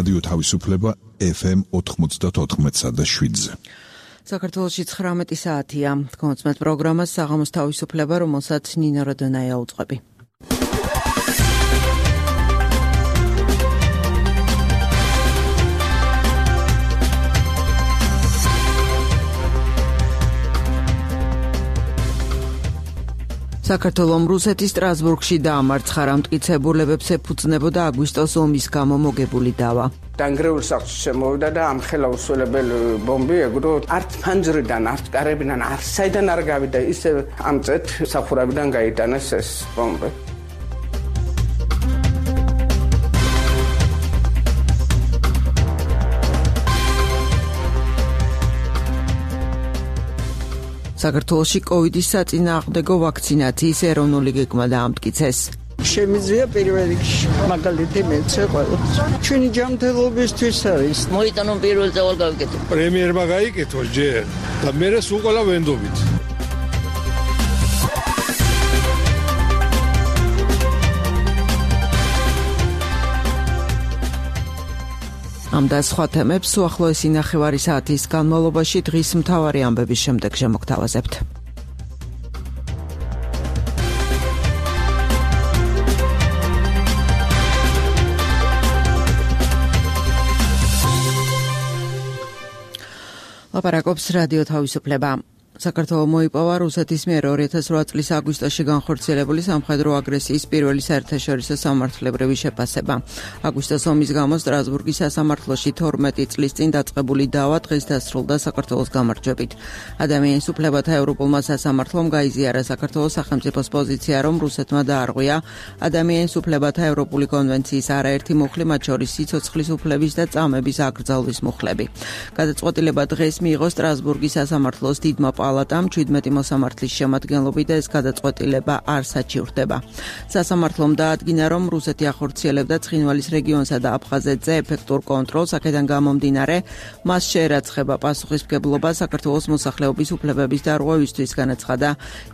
რადიო თავისუფლება FM 94.7-ზე. საქართველოში 19 საათია. კონცერტ პროგრამას საღამოს თავისუფლება, რომელსაც ნინო როდონაია უწყები. საქართველოს რუსეთის სტრასბურგში დაამარცხა რა მტკიცებულებებს ეფუძნებოდა აგვისტოს ომის გამო მოგებული დავა. დანგრეულ სახლში შემოვიდა და ამ ხელაუსრულებელი ბომბი ეგრო არც ფანჯრიდან, არც კარებიდან, არც საიდან არ გავიდა, ისე ამწეთ სახურავიდან გაიტანეს ეს ბომბი. საქართველოში კოვიდის საწინააღმდეგო ვაქცინაციის ეროვნული გეგმა დაამტკიცეს. შემიძლია პირველ რიგში მაგალითი მეცე ყველას. ჩვენი ჯანმრთელობისთვის არის. მოიტანო პირველ წავალ გავიკეთო. პრემიერმა გაიკეთო ჯერ და მერე სულ ყველა ვენდობით. ამ და სხვა თემებს უახლოესი ნახევარი საათის განმავლობაში დღის მთავარი ამბების შემდეგ შემოგთავაზებთ. ლაპარაკობს რადიო თავისუფლება. საქართველოს მოიპოვა რუსეთის მიერ 2008 წლის აგვისტოში განხორციელებული სამხედრო აგრესიის პირველი საერთაშორისო სამართლებრივი შეფასება. აგვისტოს ომის გამო სტრასბურგის სასამართლოში 12 წლის წინ დაწყებული დავა დღეს დასრულდა საქართველოს გამარჯვებით. ადამიანის უფლებათა ევროპულმა სასამართლომ გაიზიარა საქართველოს სახელმწიფოს პოზიცია, რომ რუსეთმა დაარღვია ადამიანის უფლებათა ევროპული კონვენციის არაერთი მუხლი, მათ შორის სიცოცხლის უფლების და წამების აკრძალვის მუხლები. გადაწყვეტილება დღეს მიიღო სტრასბურგის სასამართლოს დიდმა პალატამ 17 მოსამართლის შემადგენლობით და ეს გადაწყვეტილება არ საჩივრდება. სასამართლომ დაადგინა, რომ რუსეთი ახორციელებდა ცხინვალის რეგიონსა და აფხაზეთზე ეფექტურ კონტროლს, აქედან გამომდინარე, მას შეერაცხება პასუხისმგებლობა საქართველოს მოსახლეობის უფლებების დარღვევისთვის, განაცხადა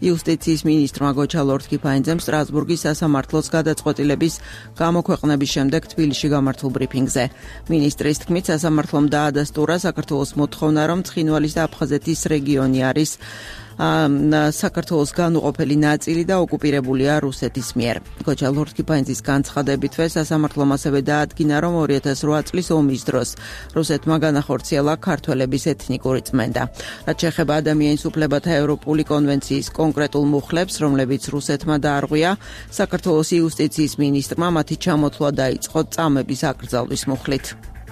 იუსტიციის მინისტრმა გოჩა ლორთქიფანიძემ სტრასბურგის სასამართლოს გადაწყვეტილების გამოქვეყნების შემდეგ თბილისში გამართულ ბრიფინგზე. მინისტრის თქმით, სასამართლომ დაადასტურა საქართველოს მოთხოვნა, რომ ცხინვალის და აფხაზეთის რეგიონი არის საქართველოს განუყოფელი ნაწილი და ოკუპირებულია რუსეთის მიერ. გოჩა ლორთქიფანიძის განცხადებითვე სასამართლომ ასევე დაადგინა, რომ 2008 წლის ომის დროს რუსეთმა განახორციელა ქართველების ეთნიკური წმენდა. რაც შეეხება ადამიანის უფლებათა ევროპული კონვენციის კონკრეტულ მუხლებს, რომლებიც რუსეთმა დაარღვია, საქართველოს იუსტიციის მინისტრმა მათი ჩამოთვლა დაიწყო წამების აკრძალვის მუხლით.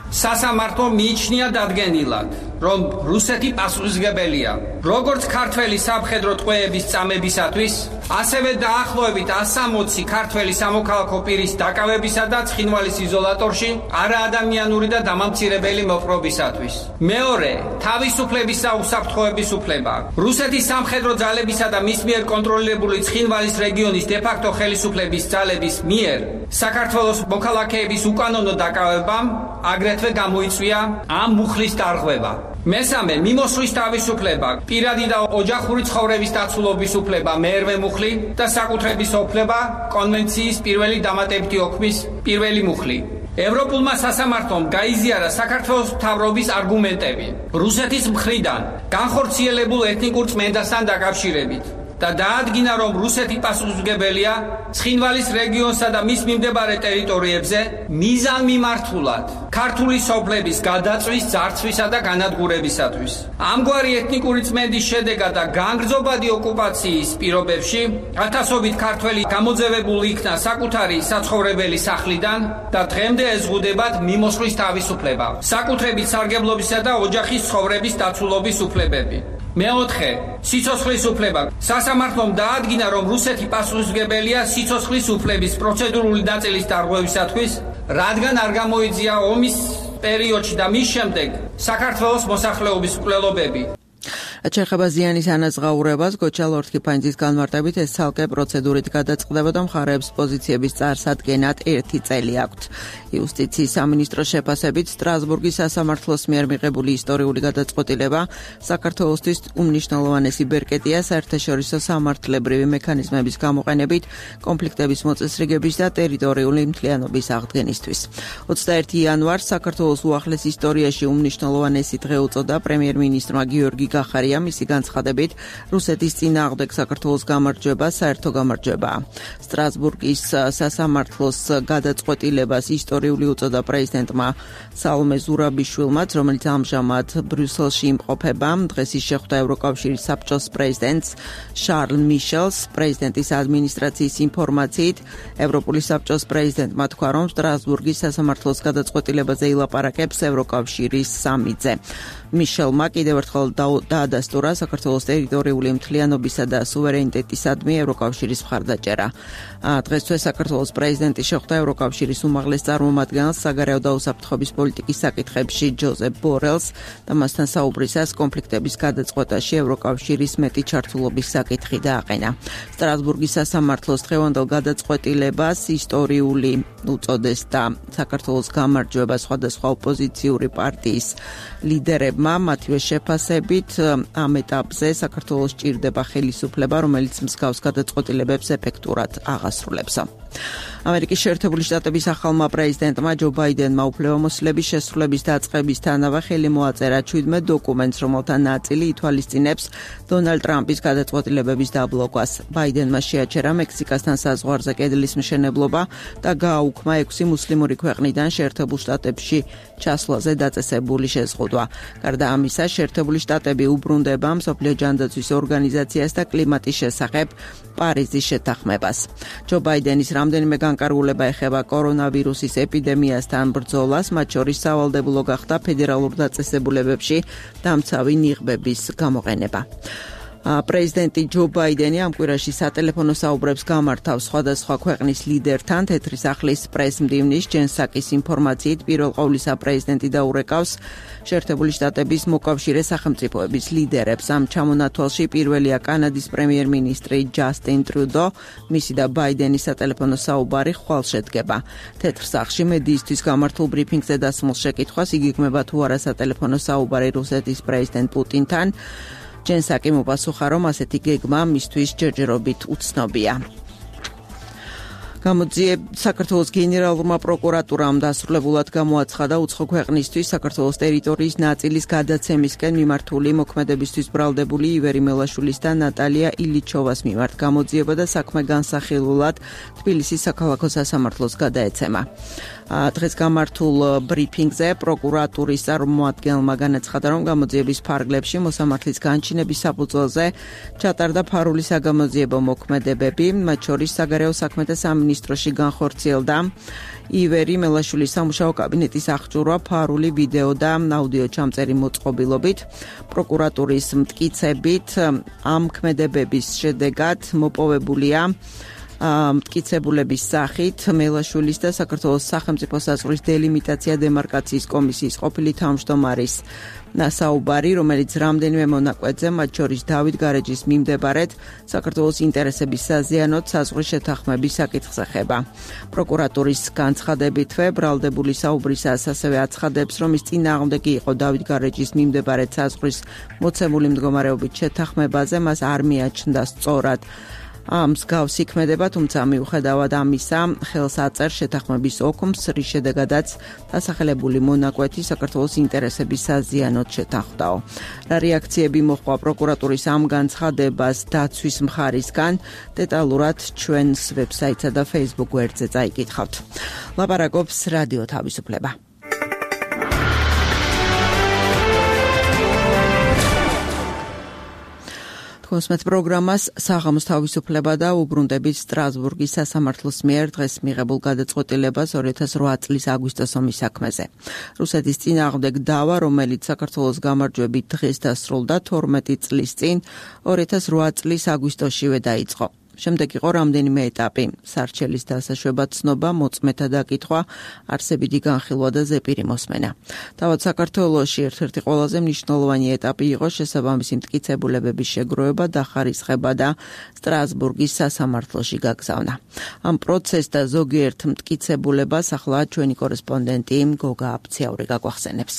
სასამართლომ მიიჩნია დადგენილად, რომ რუსეთი პასუხისმგებელია როგორც ქართველი სამხედრო ტყვეების წამებისათვის, ასევე დაახლოებით 160 ქართველი სამოქალაქო პირის დაკავებისა და ცხინვალის იზოლატორში არაადამიანური და დამამცირებელი მოპყრობისათვის. მეორე, თავისუფლების და უსაფრთხოების უფლება. რუსეთის სამხედრო ძალებისა და მის მიერ კონტროლირებული ცხინვალის რეგიონის დე-ფაქტო ხელისუფლების ძალების მიერ საქართველოს მოქალაქეების უკანონო დაკავებამ აგრეთვე გამოიწვია ამ მუხლის დარღვევა. მესამე, მიმოსვლის თავისუფლება, პირადი და ოჯახური ცხოვრების დაცულობის უფლება, მერვე მუხლი და საკუთრების უფლება, კონვენციის პირველი დამატებითი ოქმის პირველი მუხლი. ევროპულმა სასამართლომ გაიზიარა საქართველოს მთავრობის არგუმენტები რუსეთის მხრიდან განხორციელებულ ეთნიკურ წმენდასთან დაკავშირებით და დაადგინა, რომ რუსეთი პასუხისმგებელია ცხინვალის რეგიონსა და მის მიმდებარე ტერიტორიებზე მიზანმიმართულად ქართული სოფლების გადაწვის, ძარცვისა და განადგურებისათვის. ამგვარი ეთნიკური წმენდის შედეგად და განგრძობადი ოკუპაციის პირობებში ათასობით ქართველი გამოძევებული იქნა საკუთარი საცხოვრებელი სახლიდან და დღემდე ეზღუდებათ მიმოსვლის თავისუფლება, საკუთრებით სარგებლობისა და ოჯახის ცხოვრების დაცულობის უფლებები. მეოთხე, სიცოცხლის უფლება. სასამართლომ დაადგინა, რომ რუსეთი პასუხისმგებელია სიცოცხლის უფლების პროცედურული ნაწილის დარღვევისათვის, რადგან არ გამოიძია ომის პერიოდში და მის შემდეგ საქართველოს მოსახლეობის მკვლელობები. ჩეხება ზიანის ანაზღაურებას გოჩალ-ორთქიფანიძის განმარტებით ეს ცალკე პროცედურით გადაწყდება და მხარეებს პოზიციების წარსადგენად 1 წელი აქვთ. იუსტიციის სამინისტროს შეფასებით სტრასბურგის სასამართლოს მიერ მიღებული ისტორიული გადაწყვეტილება საქართველოსთვის უმნიშვნელოვანესი ბერკეტია საერთაშორისო სამართლებრივი მექანიზმების გამოყენებით კონფლიქტების მოწესრიგების და ტერიტორიული მთლიანობის აღდგენისთვის. 21 იანვარს საქართველოს უახლეს ისტორიაში უმნიშვნელოვანესი დღე უწოდა პრემიერ-მინისტრმა გიორგი გახარიამ მისი განცხადებით რუსეთის წინააღმდეგ საქართველოს გამარჯვება საერთო გამარჯვებაა. სტრასბურგის სასამართლოს გადაწყვეტილებას ისტორიული უწოდა პრეზიდენტმა სალომე ზურაბიშვილმაც, რომელიც ამჟამად ბრიუსელში იმყოფება. დღეს ის შეხვდა ევროკავშირის საბჭოს პრეზიდენტს შარლ მიშელს. პრეზიდენტის ადმინისტრაციის ინფორმაციით ევროპული საბჭოს პრეზიდენტმა თქვა, რომ სტრასბურგის სასამართლოს გადაწყვეტილებაზე ილაპარაკებს ევროკავშირის სამიტზე. მიშელმა კიდევ ერთხელ დაადასტურა საქართველოს ტერიტორიული მთლიანობისა და სუვერენიტეტისადმი ევროკავშირის მხარდაჭერა. დღესვე საქართველოს პრეზიდენტი შეხვდა ევროკავშირის უმაღლეს წარმომადგენელს საგარეო და უსაფრთხოების პოლიტიკის საკითხებში ჯოზეფ ბორელს და მასთან საუბრისას კონფლიქტების გადაწყვეტაში ევროკავშირის მეტი ჩართულობის საკითხი დააყენა. სტრასბურგის სასამართლოს დღევანდელ გადაწყვეტილებას ისტორიული უწოდეს და საქართველოს გამარჯვება სხვადასხვა ოპოზიციური პარტიის ლიდერებმა მათივე შეფასებით ამ ეტაპზე საქართველოს ჭირდება ხელისუფლება, რომელიც მსგავს გადაწყვეტილებებს ეფექტურად აღასრულებს. ამერიკის შეერთებული შტატების ახალმა პრეზიდენტმა ჯო ბაიდენმა უფლებამოსილების შესრულების დაწყებისთანავე ხელი მოაწერა 17 დოკუმენტს, რომელთა ნაწილი ითვალისწინებს დონალდ ტრამპის გადაწყვეტილებების დაბლოკვას. ბაიდენმა შეაჩერა მექსიკასთან საზღვარზე კედლის მშენებლობა და გააუქმა 6 მუსლიმური ქვეყნიდან შეერთებულ შტატებში ჩასვლაზე დაწესებული შეზღუდვა. გარდა ამისა, შეერთებული შტატები უბრუნდება მსოფლიო ჯანდაცვის ორგანიზაციას და კლიმატის შესახებ პარიზის შეთანხმებას. ჯო ბაიდენის რამდენიმე განკარგულება ეხება კორონავირუსის ეპიდემიასთან ბრძოლას, მათ შორის სავალდებულო გახდა ფედერალურ დაწესებულებებში დამცავი ნიღბების გამოყენება. პრეზიდენტი ჯო ბაიდენი ამ კვირაში სატელეფონო საუბრებს გამართავს სხვადასხვა ქვეყნის ლიდერთან. თეთრი სახლის პრეს-მდივნის ჯენ საკის ინფორმაციით პირველ ყოვლისა პრეზიდენტი დაურეკავს შეერთებული შტატების მოკავშირე სახელმწიფოების ლიდერებს. ამ ჩამონათვალში პირველია კანადის პრემიერ-მინისტრი ჯასტინ ტრუდო. მისი და ბაიდენის სატელეფონო საუბარი ხვალ შედგება. თეთრ სახლში მედიისთვის გამართულ ბრიფინგზე დასმულ შეკითხვას იგეგმება თუ არა სატელეფონო საუბარი რუსეთის პრეზიდენტ პუტინთან. ჯენ საკი მოპასუხა, რომ ასეთი გეგმა მისთვის ჯერჯერობით უცნობია. საქართველოს გენერალურმა პროკურატურამ დასრულებულად გამოაცხადა უცხო ქვეყნისთვის საქართველოს ტერიტორიის ნაწილის გადაცემისკენ მიმართული მოქმედებისთვის ბრალდებული ივერი მელაშვილის და ნატალია ილიჩოვას მიმართ გამოძიება და საქმე განსახილულად თბილისის საქალაქო სასამართლოს გადაეცემა. დღეს გამართულ ბრიფინგზე პროკურატურის წარმომადგენელმა განაცხადა, რომ გამოძიების ფარგლებში მოსამართლის განჩინების საფუძველზე ჩატარდა ფარული საგამოძიებო მოქმედებები, მათ შორის საგარეო საქმეთა სამინისტროში განხორციელდა ივერი მელაშვილის სამუშაო კაბინეტის აღჭურვა ფარული ვიდეო და აუდიო ჩამწერი მოწყობილობით. პროკურატურის მტკიცებით ამ ქმედებების შედეგად მოპოვებულია მტკიცებულების სახით მელაშვილის და საქართველოს სახელმწიფო საზღვრის დელიმიტაცია დემარკაციის კომისიის ყოფილი თავმჯდომარის საუბარი, რომელიც რამდენიმე მონაკვეთზე, მათ შორის დავით გარეჯის მიმდებარედ საქართველოს ინტერესების საზიანოდ საზღვრის შეთანხმების საკითხს ეხება. პროკურატურის განცხადებითვე ბრალდებული საუბრისას ასევე აცხადებს, რომ ის წინააღმდეგი იყო დავით გარეჯის მიმდებარედ საზღვრის მოცემული მდგომარეობით შეთანხმებაზე, მას არ მიაჩნდა სწორად მსგავსი ქმედება, თუმცა მიუხედავად ამისა, ხელს აწერ შეთანხმების ოქმს, რის შედეგადაც დასახელებული მონაკვეთი საქართველოს ინტერესების საზიანოდ შეთანხმდაო. რა რეაქციები მოჰყვა პროკურატურის ამ განცხადებას დაცვის მხარისგან, დეტალურად ჩვენს ვებსაიტსა და Facebook გვერდზე წაიკითხავთ. ლაპარაკობს რადიო თავისუფლება. Თქვენს პროგრამას საღამოს თავისუფლება და უბრუნდებით სტრასბურგის სასამართლოს მიერ დღეს მიღებულ გადაწყვეტილებას 2008 წლის აგვისტოს ომის საქმეზე. რუსეთის წინააღმდეგ დავა, რომელიც საქართველოს გამარჯვებით დღეს დასრულდა 12 წლის წინ 2008 წლის აგვისტოშივე დაიწყო. შემდეგ იყო რამდენიმე ეტაპი: სარჩელის დასაშვება, ცნობა, მოწმეთა დაკითხვა, არსებითი განხილვა და ზეპირი მოსმენა. თავად საქართველოში ერთ-ერთი ყველაზე მნიშვნელოვანი ეტაპი იყო შესაბამისი მტკიცებულებების შეგროვება, დახარისხება და სტრასბურგის სასამართლოში გაგზავნა. ამ პროცესს და ზოგიერთ მტკიცებულებას ახლა ჩვენი კორესპონდენტი გოგა აფციაური გაგვახსენებს.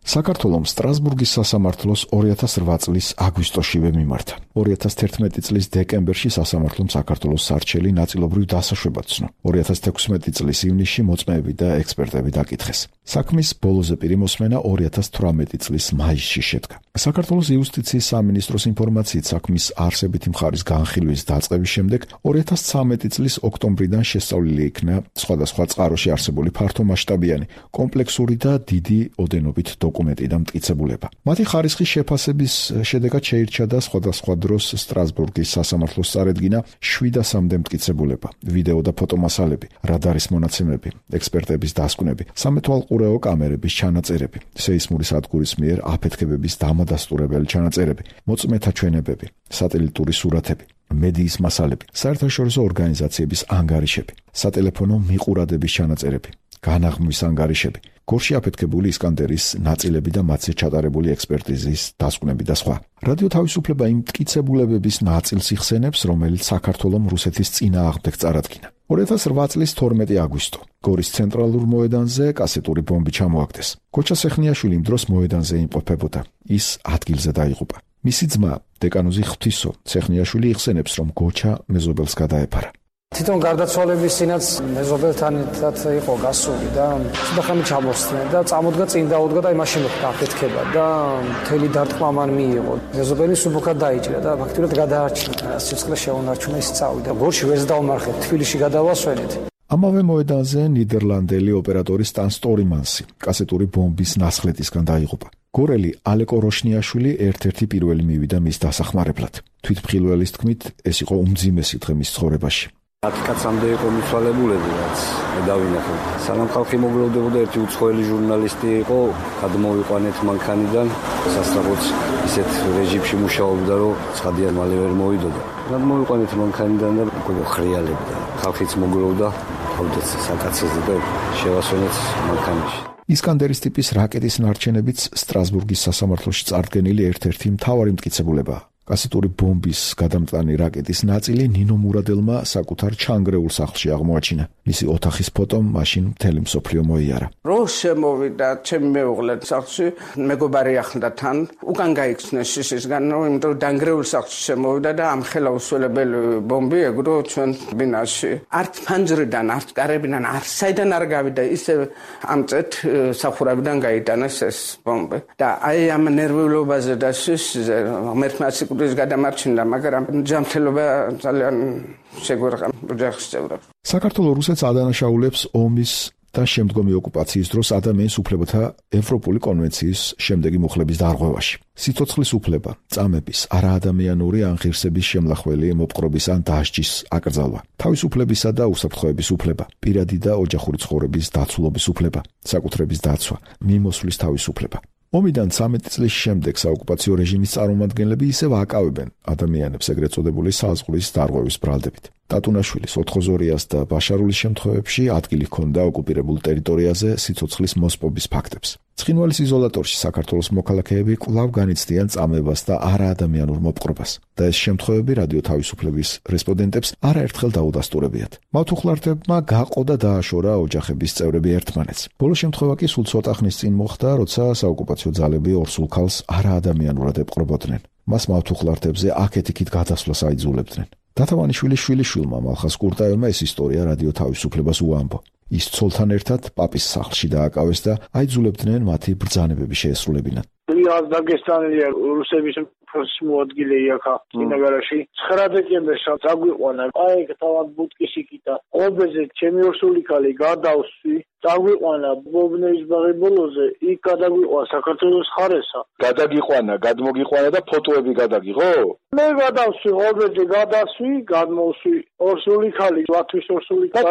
საქართველოს სტრასბურგის სასამართლოს 2008 წლის აგვისტოშივე მიმართა. 2011 წლის დეკემბერში სასამართლომ საქართველოს სარჩელი ნაწილობრივ დასაშვებად ცნო. 2016 წლის ივნისში მოწმეები და ექსპერტები დაკითხეს. საქმის ბოლოზე პირი მოსმენა 2018 წლის მაისში შედგა. საქართველოს იუსტიციის სამინისტროს ინფორმაციით საქმის არსებითი მხარის განხილვის დაწყების შემდეგ 2013 წლის ოქტომბრიდან შესწავლილი იქნა სხვადასხვა წყაროში არსებული ფართომასშტაბიანი, კომპლექსური და დიდი ოდენობით დოკუმენტი და მტკიცებულება. მათი ხარისხის შეფასების შედეგად შეირჩა და სხვადასხვა დროს სტრასბურგის სასამართლოს წარედგინა 700-მდე მტკიცებულება, ვიდეო და ფოტომასალები, რადარის მონაცემები, ექსპერტების დასკვნები, სამეთვალყურეო კამერების ჩანაწერები, სეისმური სადგურის მიერ აფეთქებების დამადასტურებელი ჩანაწერები, მოწმეთა ჩვენებები, სატელიტური სურათები, მედიის მასალები, საერთაშორისო ორგანიზაციების ანგარიშები, სატელეფონო მიყურადების ჩანაწერები, განაღმვის ანგარიშები, გორში აფეთქებული ისკანდერის ნაწილები და მათზე ჩატარებული ექსპერტიზის დასკვნები და სხვა. რადიო თავისუფლება იმ მტკიცებულებების ნაწილს იხსენებს, რომელიც საქართველოს რუსეთის წინააღმდეგ წარადგინა. 2008 წლის 12 აგვისტო გორის ცენტრალურ მოედანზე კასეტური ბომბი ჩამოაგდეს. გოჩა სეხნიაშვილი იმ დროს მოედანზე იმყოფებოდა. ის ადგილზე დაიღუპა. მისი ძმა დეკანოზი ღვთისო სეხნიაშვილი იხსენებს, რომ გოჩა მეზობელს გადაეფარა. თვითონ გარდაცვალების წინაც მეზობელთან ერთად იყო გასული და ხმი ჩამოსწნა და წამოდგა წინ დაუდგა და მაშინ მოხდა აფეთქება და მთელი დარტყმა მან მიიღო. მეზობელი სუბუქად დაიჭრა და ფაქტობრივად გადაარჩინა. სიცხლე შეუნარჩუნა, ის წავიდა. გორში ვერც დავმარხეთ, თბილისში გადავასვენეთ. ამავე მოედანზე ნიდერლანდელი ოპერატორი სტან სტორმანსი კასეტური ბომბის ნასხლეტისგან დაიღუპა. გორელი ალეკო როშნიაშვილი ერთ-ერთი პირველი მივიდა მის დასახმარებლად. თვითმხილველის თქმით, ეს იყო უმძიმესი დღე მის ცხოვრებაში. 10 კაცამდე იყო მიცვალებულები, რაც დავინახე. სანამ ხალხი მოგლოვდებოდა, ერთი უცხოელი ჟურნალისტი იყო, გადმოვიყვანეთ მანქანიდან, სასწრაფოდ ისეთ რეჟიმში მუშაობდა, რომ ცხადიან მალე ვერ მოვიდოდა. გადმოვიყვანეთ მანქანიდან და ხრიალებდა. ხალხიც მოგლოვდა, თავდაც საკაცეზე და შევასვენეთ მანქანაში. ისკანდერის ტიპის რაკეტის ნარჩენებიც სტრასბურგის სასამართლოში წარდგენილი ერთ-ერთი მთავარი მტკიცებულებაა. კასეტური ბომბის გადამტანი რაკეტის ნაწილი ნინო მურადელმა საკუთარ ჩანგრეულ სახლში აღმოაჩინა. მისი ოთახის ფოტომ მაშინ მთელი მსოფლიო მოიარა. რო შემოვიდა ჩემი მეუღლე სახლში, მეგობარი ახლდა თან, უკან გაიქცნეს შიშისგან, იმიტომ რომ დანგრეულ სახლში შემოვიდა და ამხელა უსველებელი ბომბი ეგრო ჩვენ ბინაში. არც ფანჯრიდან, არც კარებიდან, არც საიდან არ გავიდა, ისე ამწეთ სახურავიდან გაიტანეს ეს ბომბი. და აი ამ ნერვიულობაზე და შიშზე მერტმაცი ის გადამარჩინდა, მაგრამ ჯანმრთელობა ძალიან შეგვერყა ოჯახის წევრებს. საქართველოს რუსეთს ადანაშაულებს ომის და შემდგომი ოკუპაციის დროს ადამიანის უფლებათა ევროპული კონვენციის შემდეგი მუხლების დარღვევაში. სიცოცხლის უფლება, წამების, არაადამიანური ანღირსების შემლახველი მოპყრობის ან დასჯის აკრძალვა, თავისუფლებისა და უსაფრთხოების უფლება, პირადი და ოჯახური ცხოვრების დაცულობის უფლება, საკუთრების დაცვა, მიმოსვლის თავისუფლება. ომიდან 13 წლის შემდეგ საოკუპაციო რეჟიმის წარმომადგენლები ისევ აკავებენ ადამიანებს ეგრეთ წოდებული საზღვრის დარღვევის ბრალდებით. ტატუნაშვილის, ოთხოზორიას და ბაშარულის შემთხვევებში ადგილი ჰქონდა ოკუპირებულ ტერიტორიაზე სიცოცხლის მოსპობის ფაქტებს. ცხინვალის იზოლატორში საქართველოს მოქალაქეები კვლავ განიცდიან წამებას და არაადამიანურ მოპყრობას და ეს შემთხვევები რადიო თავისუფლების რესპონდენტებს არაერთხელ დაუდასტურებიათ. მავთუხლარდებმა გაყო და დააშორა ოჯახების წევრები ერთმანეთს. ბოლო შემთხვევა კი სულ ცოტა ხნის წინ მოხდა, როცა საოკუპაციო ძალები ორსულ ქალს არაადამიანურად ეპყრობოდნენ. მას მავთუხლარდებზე აქეთ-იქით გადასვლას აიძულებდნენ. დათავანიშვილის შვილიშვილმა მალხას კურტაევმა ეს ისტორია რადიო თავისუფლებას უამბო. ის ცოლთან ერთად პაპის სახლში დააკავეს და აიძულებდნენ მათი ბრძანებები შეესრულებინათ. იას დაგესტანელია რუსების მოადგილე იქა წინაგარაში 9 დეკემბერს წაგვიყვანა. აი თავად ბუტკის იქითა. ობეზე ჩემი ორსული ქალი გადავსვი. წაგვიყვანა ბობნეის ბაღი ბოლოზე, იქ გადაგვიყვანა საქართველოს ხარესა. გადაგიყვანა, გადმოგიყვანა და ფოტოები გადაგიღო? მე გადავსვი, ობეზე გადავსვი, გადმოვსვი. ორსული ქალი, ლატვის ორსული ქალი.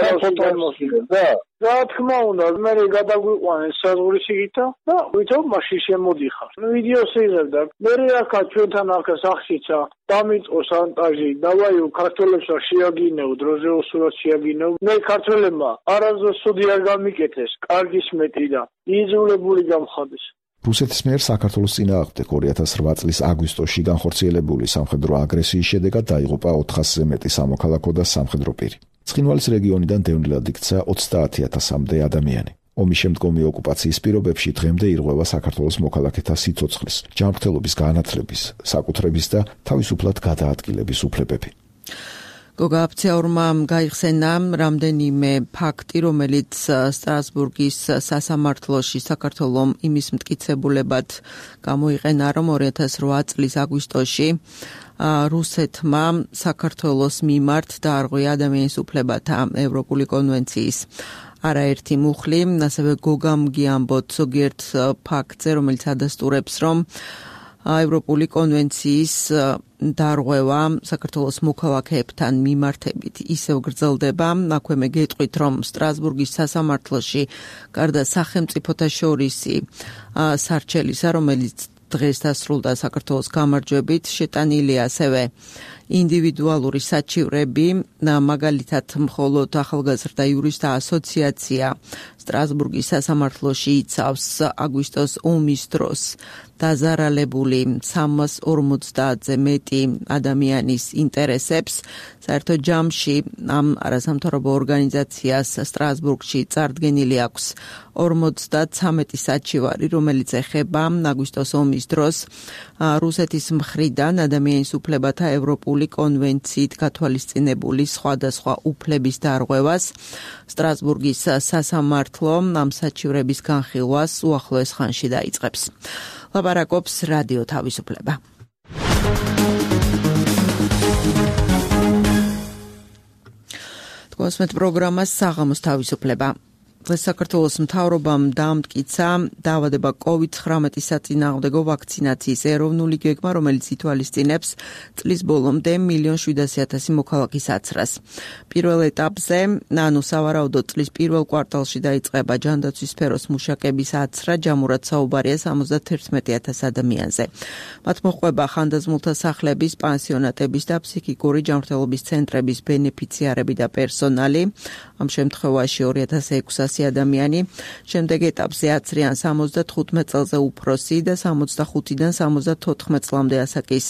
რა თქმა უნდა, მე გადაგვიყვანეს საზღვრისიქითა და ვითომ მაშინ შემოდიხარ. ვიდეოს იღებდა. მე ახლა ჩვენთან ახლა სახშიცა დამიწყო სანტაჟი, დავაიო ქართველებს რა შეაგინეო, დროზე უსურვად შეაგინეო. მე ქართველებმა არასდროს სუდი არ გამიკეთეს, კარგის მეტი და იძულებული გამხადეს. რუსეთის მიერ საქართველოს წინააღმდეგ 2008 წლის აგვისტოში განხორციელებული სამხედრო აგრესიის შედეგად დაიღუპა 400-ზე მეტი სამოქალაქო და სამხედრო პირი. ცხინვალის რეგიონიდან დევნილად იქცა 30,000-მდე ადამიანი. ომის შემდგომი ოკუპაციის პირობებში დღემდე ირღვევა საქართველოს მოქალაქეთა სიცოცხლის, ჯანმრთელობის განათლების, საკუთრების და თავისუფლად გადაადგილების უფლებები. გოგა აფციაურმა გაიხსენა რამდენიმე ფაქტი, რომელიც სტრასბურგის სასამართლოში საქართველომ იმის მტკიცებულებად გამოიყენა, რომ 2008 წლის აგვისტოში რუსეთმა საქართველოს მიმართ დაარღვია ადამიანის უფლებათა ევროპული კონვენციის არაერთი მუხლი, ასევე გოგამ გიამბოთ ზოგიერთ ფაქტზე, რომელიც ადასტურებს, რომ ევროპული კონვენციის დარღვევა საქართველოს მოქალაქეებთან მიმართებით ისევ გრძელდება. აქვე მე გეტყვით, რომ სტრასბურგის სასამართლოში გარდა სახელმწიფოთა შორისი სარჩელისა, რომელიც დღეს დასრულდა საქართველოს გამარჯვებით, შეტანილია ასევე ინდივიდუალური საჩივრები, მაგალითად მხოლოდ ახალგაზრდა იურისტთა ასოციაცია სტრასბურგის სასამართლოში იცავს აგვისტოს ომის დროს დაზარალებული 350-ზე მეტი ადამიანის ინტერესებს. საერთო ჯამში ამ არასამთავრობო ორგანიზაციას სტრასბურგში წარდგენილი აქვს 53 საჩივარი, რომელიც ეხება აგვისტოს ომის დროს რუსეთის მხრიდან ადამიანის უფლებათა ევროპული კონვენციით გათვალისწინებული სხვადასხვა უფლების დარღვევას. სტრასბურგის სასამართლო ამ საჩივრების განხილვას უახლოეს ხანში დაიწყებს. ლაპარაკობს რადიო თავისუფლება. თქვენს პროგრამას საღამოს თავისუფლება. საქართველოს მთავრობამ დაამტკიცა დაავადება COVID-19 საწინააღმდეგო ვაქცინაციის ეროვნული გეგმა, რომელიც ითვალისწინებს წლის ბოლომდე 1,700,000 მოქალაქის აცრას. პირველ ეტაპზე, სავარაუდოდ წლის პირველ კვარტალში დაიწყება ჯანდაცვის სფეროს მუშაკების აცრა, ჯამურად საუბარია 71,000 ადამიანზე. მათ მოჰყვება ხანდაზმულთა სახლების, პანსიონატების და ფსიქიკური ჯანმრთელობის ცენტრების ბენეფიციარები და პერსონალი. ამ შემთხვევაში 2600 ადამიანი. შემდეგ ეტაპზე აცრიან 75 წელზე უფროსი და 65-დან 74 წლამდე ასაკის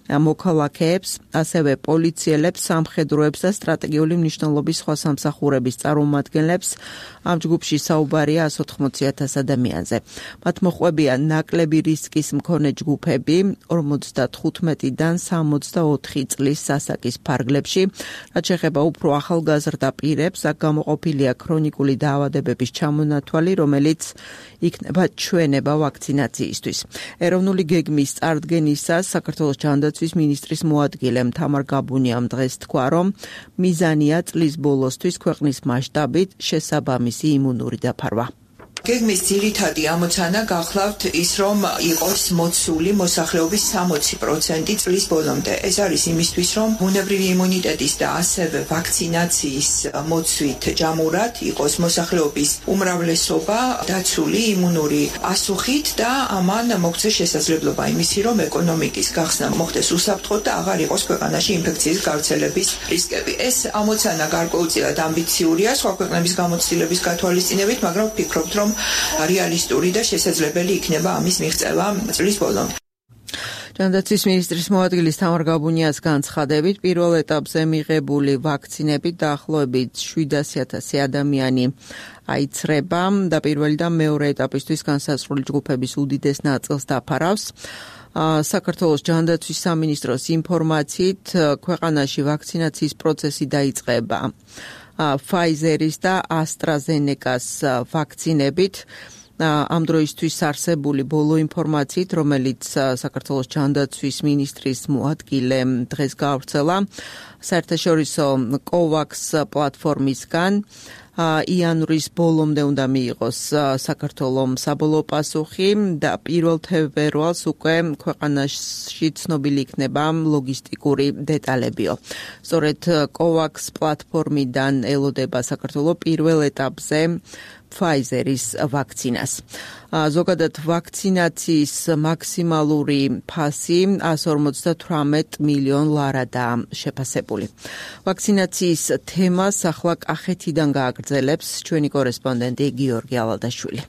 მოქალაქეებს, ასევე პოლიციელებს, სამხედროებს და სტრატეგიული მნიშვნელობის სხვა სამსახურების წარმომადგენლებს. ამ ჯგუფში საუბარია 180,000 ადამიანზე. მათ მოჰყვებიან ნაკლები რისკის მქონე ჯგუფები 55-დან 64 წლის ასაკის ფარგლებში. რაც შეეხება უფრო ახალგაზრდა პირებს, აქ გამოყოფილია ქრონიკული დაავადებების ჩამონათვალი, რომელიც იქნება ჩვენება ვაქცინაციისთვის. ეროვნული გეგმის წარდგენისას საქართველოს ჯანდაცვის მინისტრის მოადგილემ თამარ გაბუნიამ დღეს თქვა, რომ მიზანია წლის ბოლოსთვის ქვეყნის მასშტაბით შესაბამისი იმუნური დაფარვა. გეგმის ძირითადი ამოცანა გახლავთ ის, რომ იყოს მოცული მოსახლეობის 60% წლის ბოლომდე. ეს არის იმისთვის, რომ ბუნებრივი იმუნიტეტის და ასევე ვაქცინაციის მოცვით ჯამურად იყოს მოსახლეობის უმრავლესობა დაცული იმუნური პასუხით და ამან მოგცეს შესაძლებლობა იმისი, რომ ეკონომიკის გახსნა მოხდეს უსაფრთხოდ და აღარ იყოს ქვეყანაში ინფექციის გავრცელების რისკები. ეს ამოცანა გარკვეულწილად ამბიციურია სხვა ქვეყნების გამოცდილების გათვალისწინებით, მაგრამ ვფიქრობთ, რომ რეალისტური და შესაძლებელი იქნება ამის მიღწევა წლის ბოლომდე. ჯანდაცვის მინისტრის მოადგილის თამარ გაბუნიას განცხადებით, პირველ ეტაპზე მიღებული ვაქცინებით დაახლოებით 700,000 ადამიანი აიცრება და პირველი და მეორე ეტაპისთვის განსაზღვრული ჯგუფების უდიდეს ნაწილს დაფარავს. საქართველოს ჯანდაცვის სამინისტროს ინფორმაციით, ქვეყანაში ვაქცინაციის პროცესი დაიწყება Pfizer-ის და AstraZeneca-ს ვაქცინებით. ამ დროისთვის არსებული ბოლო ინფორმაციით, რომელიც საქართველოს ჯანდაცვის მინისტრის მოადგილემ დღეს გაავრცელა, საერთაშორისო COVAX პლატფორმისგან იანვრის ბოლომდე უნდა მიიღოს საქართველოს საბოლოო პასუხი და 1 თებერვალს უკვე ქვეყანაში ცნობილი იქნება ლოგისტიკური დეტალებიო. სწორედ COVAX პლატფორმიდან ელოდება საქართველოს პირველ ეტაპზე Pfizer-ის ვაქცინას. ზოგადად ვაქცინაციის მაქსიმალური ფასი 158 მილიონ ლარადაა შეფასებული. ვაქცინაციის თემას ახლა კახეთიდან გააგრძელებს ჩვენი კორესპონდენტი გიორგი ალადაშვილი.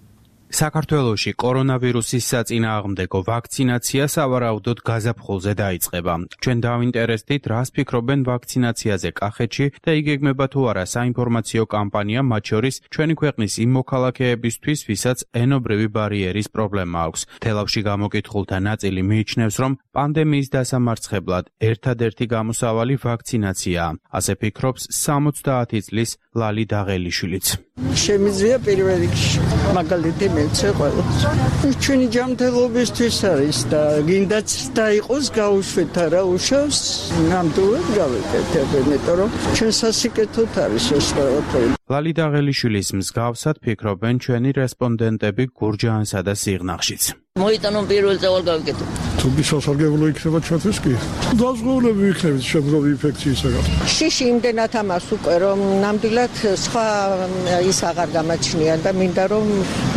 საქართველოში კორონავირუსის საწინააღმდეგო ვაქცინაცია სავარაუდოდ გაზაფხულზე დაიწყება. ჩვენ დავინტერესდით, რას ფიქრობენ ვაქცინაციაზე კახეთში და იგეგმება თუ არა საინფორმაციო კამპანია, მათ შორის ჩვენი ქვეყნის იმ მოქალაქეებისთვის, ვისაც ენობრივი ბარიერის პრობლემა აქვს. თელავში გამოკითხულთა ნაწილი მიიჩნევს, რომ პანდემიის დასამარცხებლად ერთადერთი გამოსავალი ვაქცინაციაა. ასე ფიქრობს 70 წლის ლალი დაღელიშვილიც. შემიძლია პირველ რიგში მაგალითი მეცე ყველას. ჩვენი ჯანმრთელობისთვის არის და გინდაც და იყოს გაუშვეთ არა უშავს, ნამდვილად გავეკეთებ, იმიტომ რომ ჩვენ სასიკეთოდ არის ეს ყველაფერი. ლალი დაღელიშვილის მსგავსად ფიქრობენ ჩვენი რესპონდენტები გურჯაანსა და სიღნაღშიც. მოიტანო პირველ წავალ გავიკეთო. თუმცა სასარგებლო იქნება ჩვენთვის კი. დაზღვევლები იქნებით შემდგომი ინფექციისაგან. შიში იმდენად ამას უკვე რომ ნამდვილად სხვა ის აღარ გამაჩნიან და მინდა რომ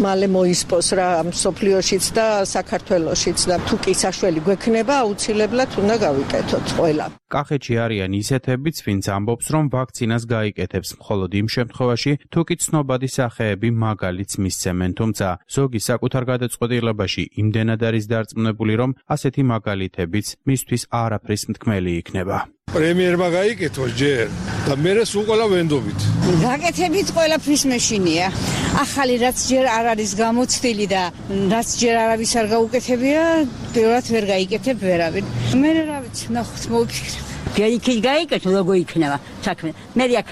მალე მოისპოს რა სოფლიოშიც და საქართველოშიც და თუ კი საშველი გვექნება აუცილებლად უნდა გავიკეთოთ ყველა. კახეთში არიან ისეთებიც, ვინც ამბობს, რომ ვაქცინას გაიკეთებს, მხოლოდ იმ შემთხვევაში, თუ კი ცნობადი სახეები მაგალითს მისცემენ, თუმცა ზოგი საკუთარ გადაწყვეტილებაში იმდენად არის დარწმუნებული, რომ ასეთი მაგალითებიც მისთვის არაფრის მთქმელი იქნება. პრემიერმა გაიკეთო ჯერ და მერე სულ ყველა ვენდობით. გაკეთებით ყველაფრის მეშინია. ახალი რაც ჯერ არ არის გამოცდილი და რაც ჯერ არავის არ გაუკეთებია, ბევრად ვერ გაიკეთებ ვერავინ. მე რა ვიცი, ნახოთ მოვიფიქრებ. იქით გაიკეთო, როგორ იქნება საქმე. მე აქ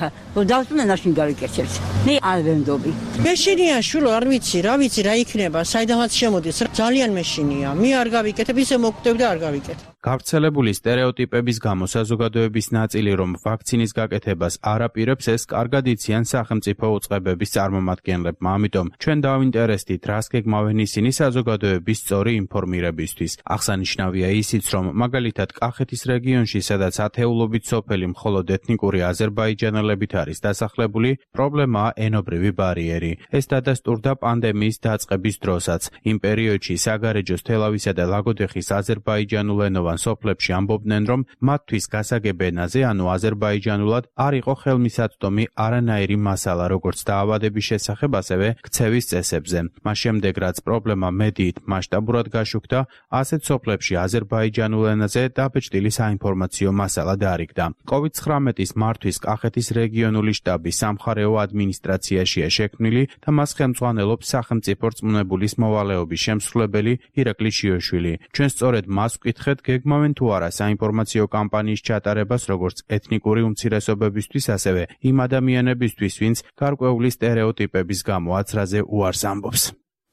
დავწუნე ნაშინ გავიკეთებთ. მე არ ვენდობი. მეშინია შულო, არ ვიცი, რა იქნება, საიდანაც შემოდის. ძალიან მეშინია. მე არ გავიკეთებ, ისე მოგკვდები და არ გავიკეთებ. გავრცელებული სტერეოტიპების გამო საზოგადოების ნაწილი, რომ ვაქცინის გაკეთებას არ აპირებს, ეს კარგად იციან სახელმწიფო უწყებების წარმომადგენლებმა. ამიტომ ჩვენ დავინტერესდით, რას გეგმავენ ისინი საზოგადოების სწორი ინფორმირებისთვის. აღსანიშნავია ისიც, რომ მაგალითად კახეთის რეგიონში, სადაც ათეულობით სოფელი მხოლოდ ეთნიკური აზერბაიჯანელებით არის დასახლებული, პრობლემაა ენობრივი ბარიერი. ეს დადასტურდა პანდემიის დაწყების დროსაც. იმ პერიოდში საგარეჯოს თელავისა და ლაგოდეხის აზერბაიჯანულენოვან სოფლებში ამბობდნენ, რომ მათთვის გასაგებ ენაზე, ანუ აზერბაიჯანულად, არ იყო ხელმისაწვდომი არანაირი მასალა, როგორც დაავადების შესახებ, ასევე ქცევის წესებზე. მას შემდეგ, რაც პრობლემა მედიით მასშტაბურად გაშუქდა, ასეთ სოფლებში აზერბაიჯანულ ენაზე დაბეჭდილი საინფორმაციო მასალა დაარიგდა. COVID-19-ის მართვის კახეთის რეგიონული შტაბი სამხარეო ადმინისტრაციაშია შექმნილი და მას ხელმძღვანელობს სახელმწიფო რწმუნებულის მოვალეობის შემსრულებელი ირაკლი შიოშვილი. ჩვენ სწორედ მას ვკითხეთ, გეგმავენ თუ არა საინფორმაციო კამპანიის ჩატარებას როგორც ეთნიკური უმცირესობებისთვის, ასევე იმ ადამიანებისთვის, ვინც გარკვეული სტერეოტიპების გამო აცრაზე უარს ამბობს.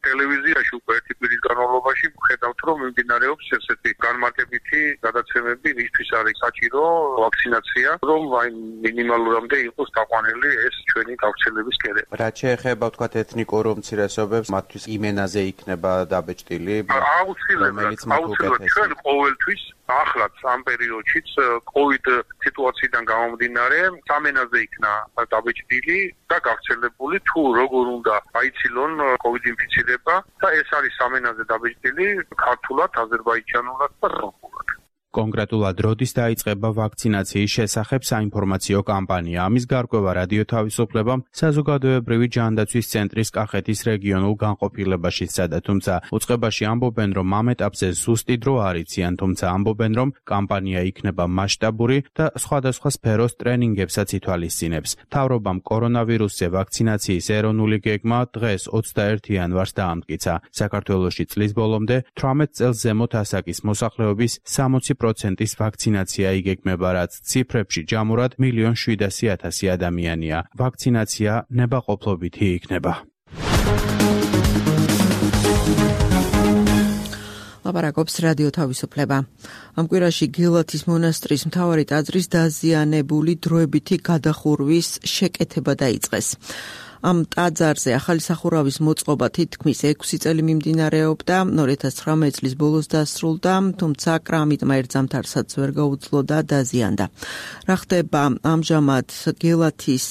ტელევიზიაში უკვე ერთი კვირის განმავლობაში ვხედავთ, რომ მიმდინარეობს ესეთი განმარტებითი გადაცემები, ისთვის არის საჭირო ვაქცინაცია, რომ აი მინიმალურამდე იყოს დაყვანილი ეს ჩვენი გავრცელების კერება. რაც შეეხება ვთქვათ ეთნიკურ უმცირესობებს, მათთვის იმენაზე იქნება დაბეჭდილი, აუცილებლად ჩვენ ყოველთვის ახლაც ამ პერიოდშიც COVID სიტუაციიდან გამომდინარე სამენაზე იქნა დაბეჭდილი და გავრცელებული, თუ როგორ უნდა აიცილონ COVID ინფიცირება და ეს არის სამენაზე დაბეჭდილი ქართულად, აზერბაიჯანულად და რუსულად. კონკრეტულად როდის დაიწყება ვაქცინაციის შესახებ საინფორმაციო კამპანია. ამის გარკვევა რადიო თავისუფლებამ საზოგადოებრივი ჯანდაცვის ცენტრის კახეთის რეგიონულ განყოფილებაში სცადა, თუმცა უწყებაში ამბობენ, რომ ამ ეტაპზე ზუსტი დრო არ იციან, თუმცა ამბობენ, რომ კამპანია იქნება მასშტაბური და სხვადასხვა სფეროს ტრენინგებსაც ითვალისწინებს. მთავრობამ კორონავირუსზე ვაქცინაციის ეროვნული გეგმა დღეს 21 იანვარს დაამტკიცა. საქართველოში წლის ბოლომდე 18 წელს ზემოთ ასაკის მოსახლეობის 60%-ის ვაქცინაცია იგეგმება, რაც ციფრებში ჯამურად 1,700,000 ადამიანია. ვაქცინაცია ნებაყოფლობითი იქნება. ლაპარაკობს რადიო თავისუფლება. ამ კვირაში გელათის მონასტრის მთავარი ტაძრის დაზიანებული დროებითი გადახურვის შეკეთება დაიწყეს. ამ ტაძარზე ახალი სახურავის მოწყობა თითქმის 6 წელი მიმდინარეობდა, 2019 წლის ბოლოს დასრულდა, თუმცა კრამიტმა ერთ ზამთარსაც ვერ გაუძლო და დაზიანდა. რა ხდება ამჟამად გელათის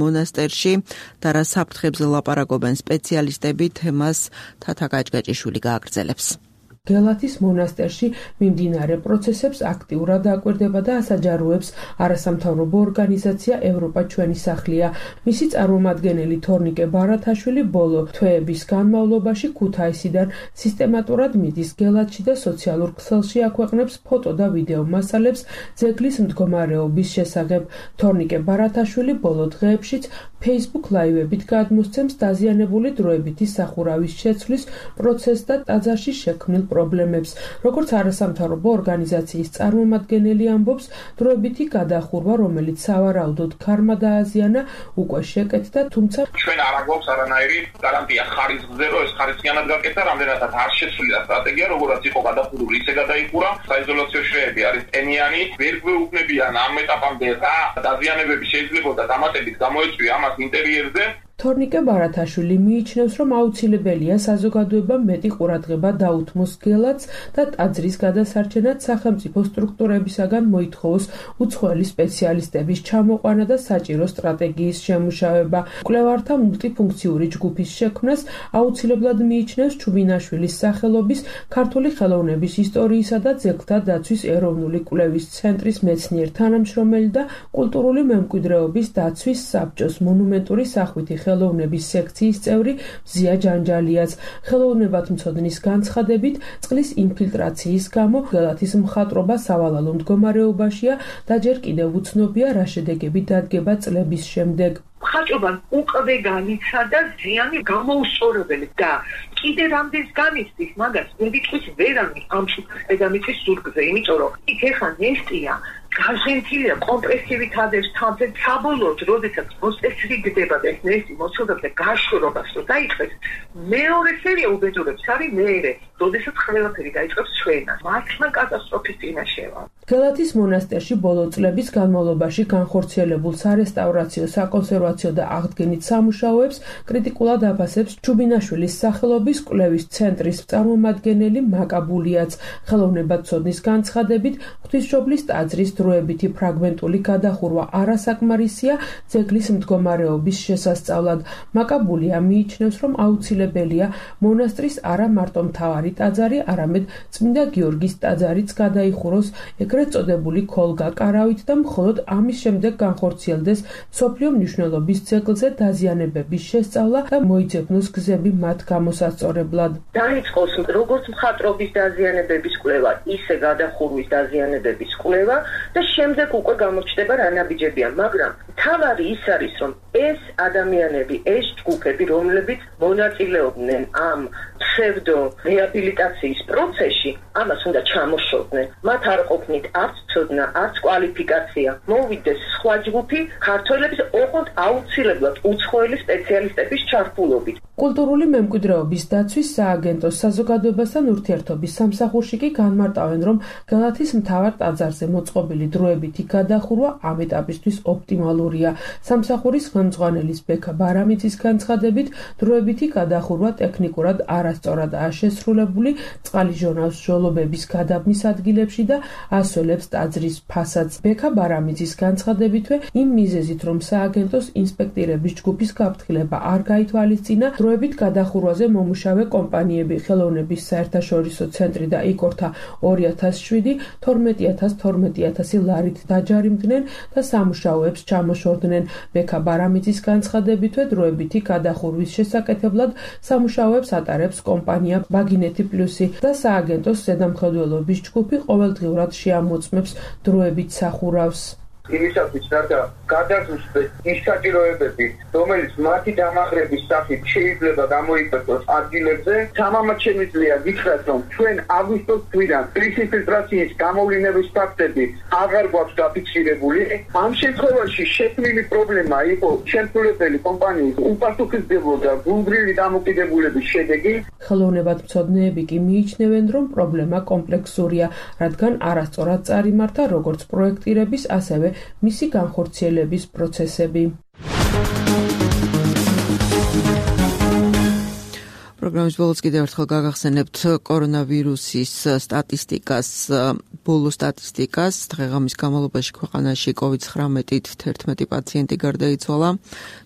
მონასტერში და რა საფრთხებზე ლაპარაკობენ სპეციალისტები, თემას თათა გაჭგაჭიშვილი გააგრძელებს. გელათის მონასტერში მიმდინარე პროცესებს აქტიურად აკვირდება და ასაჯაროებს არასამთავრობო ორგანიზაცია ევროპა ჩვენი სახლია. მისი წარმომადგენელი თორნიკე ბარათაშვილი ბოლო თვეების განმავლობაში ქუთაისიდან სისტემატურად მიდის გელათში და სოციალურ ქსელში აქვეყნებს ფოტო და ვიდეო მასალებს ძეგლის მდგომარეობის შესახებ. თორნიკე ბარათაშვილი ბოლო დღეებშიც Facebook ლაივებით გადმოსცემს დაზიანებული დროებითი სახურავის შეცვლის პროცესს და ტაძარში შექმნილ პრობლემებს. როგორც არასამთავრობო ორგანიზაციის წარმომადგენელი ამბობს, დროებითი გადახურვა, რომელიც სავარაუდოდ ქარმა დააზიანა, უკვე შეკეთდა, თუმცა ჩვენ არ აგვაქვს არანაირი გარანტია ხარისხზე, რომ ეს ხარისხიანად გაკეთდა, რამდენადაც არ შეცვლილა სტრატეგია, როგორაც იყო გადახურული, ისე გადაიხურა. საიზოლაციო შრეები არის ტენიანი, ვერ გვეუბნებიან ამ ეტაპამდე რა დაზიანებები შეიძლებოდა დამატებით გამოეწვია ამას ინტერიერზე. თორნიკე ბარათაშვილი მიიჩნევს, რომ აუცილებელია საზოგადოებამ მეტი ყურადღება დაუთმოს გელათს და ტაძრის გადასარჩენად სახელმწიფო სტრუქტურებისაგან მოითხოვოს უცხოელი სპეციალისტების ჩამოყვანა და საჭირო სტრატეგიის შემუშავება. მკვლევართა მულტიფუნქციური ჯგუფის შექმნას აუცილებლად მიიჩნევს ჩუბინაშვილის სახელობის ქართული ხელოვნების ისტორიისა და ძეგლთა დაცვის ეროვნული კვლევის ცენტრის მეცნიერ თანამშრომელი და კულტურული მემკვიდრეობის დაცვის საბჭოს მონუმენტური სახვითი ხელოვნების სექციის წევრი მზია ჯანჯალიაც. ხელოვნებათმცოდნის განცხადებით, წყლის ინფილტრაციის გამო გელათის მხატვრობა სავალალო მდგომარეობაშია და ჯერ კიდევ უცნობია, რა შედეგები დადგება წლების შემდეგ. მხატვრობამ უკვე განიცადა ზიანი გამოუსწორებელი და კიდე რამდენს განიცდის მაგას მედიტყვის ვერანი ამ შუქის დედამიწის ზურგზე, იმიტომ რომ იქ ეხა ნესტია გაზენთილია კომპრესივით ადევს თამზე საბოლოოდ, როდესაც მოსწესრიგდება და ეს ნესტი მოცულდება გაშორობას რომ დაიწყეს, მეორე სერია უბედურებს არის მეერე, როდესაც ყველაფერი დაიწყებს ჩვენას. მართლა კატასტროფის წინაშეა. გელათის მონასტერში ბოლო წლების განმავლობაში განხორციელებულ სარესტავრაციო, საკონსერვაციო და აღდგენით სამუშაოებს კრიტიკულად აფასებს ჩუბინაშვილის სახელობის კვლევის ცენტრის წარმომადგენელი მაკაბულიაც. ხელოვნებათმცოდნის განცხადებით, ღვთისმშობლის ტაძრის დროებითი ფრაგმენტული გადახურვა არასაკმარისია ძეგლის მდგომარეობის შესასწავლად. მაკაბულია მიიჩნევს, რომ აუცილებელია მონასტრის არა მარტო მთავარი ტაძარი, არამედ წმინდა გიორგის ტაძარიც გადაიხუროს ეგრეთ წოდებული ქოლგა-კარავით და მხოლოდ ამის შემდეგ განხორციელდეს მსოფლიო მნიშვნელობის ძეგლზე დაზიანებების შესწავლა და მოიძებნოს გზები მათ გამოსასწორებლად. დაიწყოს როგორც მხატვრობის დაზიანებების კვლევა, ისე გადახურვის დაზიანებების კვლევა და შემდეგ უკვე გამოჩნდება რა ნაბიჯებია, მაგრამ თავარი ის არის, რომ ეს ადამიანები, ეს ჯგუფები, რომლებიც მონაწილეობდნენ ამ ფსევდო რეაბილიტაციის პროცესში, ამას უნდა ჩამოშორდნენ. მათ არ ყოფნით არც ცოდნა, არც კვალიფიკაცია. მოვიდეს სხვა ჯგუფი, ქართველების ოღონდ აუცილებლად უცხოელი სპეციალისტების ჩართულობით. კულტურული მემკვიდრეობის დაცვის სააგენტოს საზოგადოებასთან ურთიერთობის სამსახურში კი განმარტავენ, რომ გელათის მთავარ ტაძარზე მოწყობილი დროებითი გადახურვა ამ ეტაპისთვის ოპტიმალურია. სამსახურის ხელმძღვანელის ბექა ბარამიძის განცხადებით, დროებითი გადახურვა ტექნიკურად არასწორადაა შესრულებული, წყალი ჟონავს ჟოლობების გადაბმის ადგილებში და ასველებს ტაძრის ფასადს. ბექა ბარამიძის განცხადებითვე, იმ მიზეზით, რომ სააგენტოს ინსპექტირების ჯგუფის გაფრთხილება არ გაითვალისწინა, დროებით გადახურვაზე მომუშავე კომპანიები ხელოვნების საერთაშორისო ცენტრი და იკორთა 2007, 12,000 ლარით დაჯარიმდნენ და სამუშაოებს ჩამოშორდნენ. ბექა ბარამიძის განცხადებითვე, დროებითი გადახურვის შესაკეთებლად სამუშაოებს ატარებს კომპანია ბაგინეთი პლუსი და სააგენტოს ზედამხედველობის ჯგუფი ყოველდღიურად შეამოწმებს დროებით სახურავს. იმისათვის რათა გადაგზუსტდეს ის საჭიროებები, რომელიც მათი დამახრების სახით შეიძლება გამოიკვეთოს ადგილებზე. თამამად შემიძლია გითხრათ, რომ ჩვენ აგვისტოს თვიდან კრიზის ფილტრაციის გამოვლინების ფაქტები აღარ გვაქვს დაფიქსირებული. ამ შემთხვევაში შექმნილი პრობლემა იყო შემსრულებელი კომპანიის უპასუხისმგებლო და გულგრილი დამოკიდებულების შედეგი. ხელოვნებათმცოდნეები კი მიიჩნევენ, რომ პრობლემა კომპლექსურია, რადგან არასწორად წარიმართა როგორც პროექტირების, ასევე მისი განხორციელების პროცესები. პროგრამის ბოლოს კიდევ ერთხელ გაგახსენებთ კორონავირუსის ბოლო სტატისტიკას. დღეღამის განმავლობაში ქვეყანაში COVID-19-ით 11 პაციენტი გარდაიცვალა.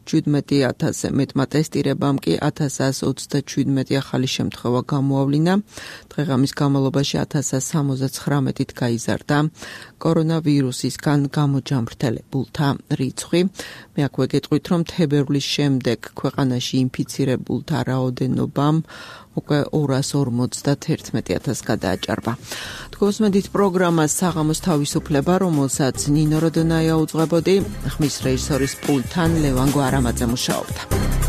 17,000-ზე მეტმა ტესტირებამ კი 1,127 ახალი შემთხვევა გამოავლინა. დღეღამის განმავლობაში 1,079-ით გაიზარდა კორონავირუსისგან გამოჯამრთელებულთა რიცხვი. მე აქვე გეტყვით, რომ თებერვლის შემდეგ ქვეყანაში ინფიცირებულთა რაოდენობა უკვე 251,000 გადააჭარბა. თქვენსმენთ პროგრამას საღამოს თავისუფლება, რომელსაც ნინო როდონაია უძღვებოდი, ხმის რეჟისორის პულტთან ლევან გვარამაძე მუშაობდა.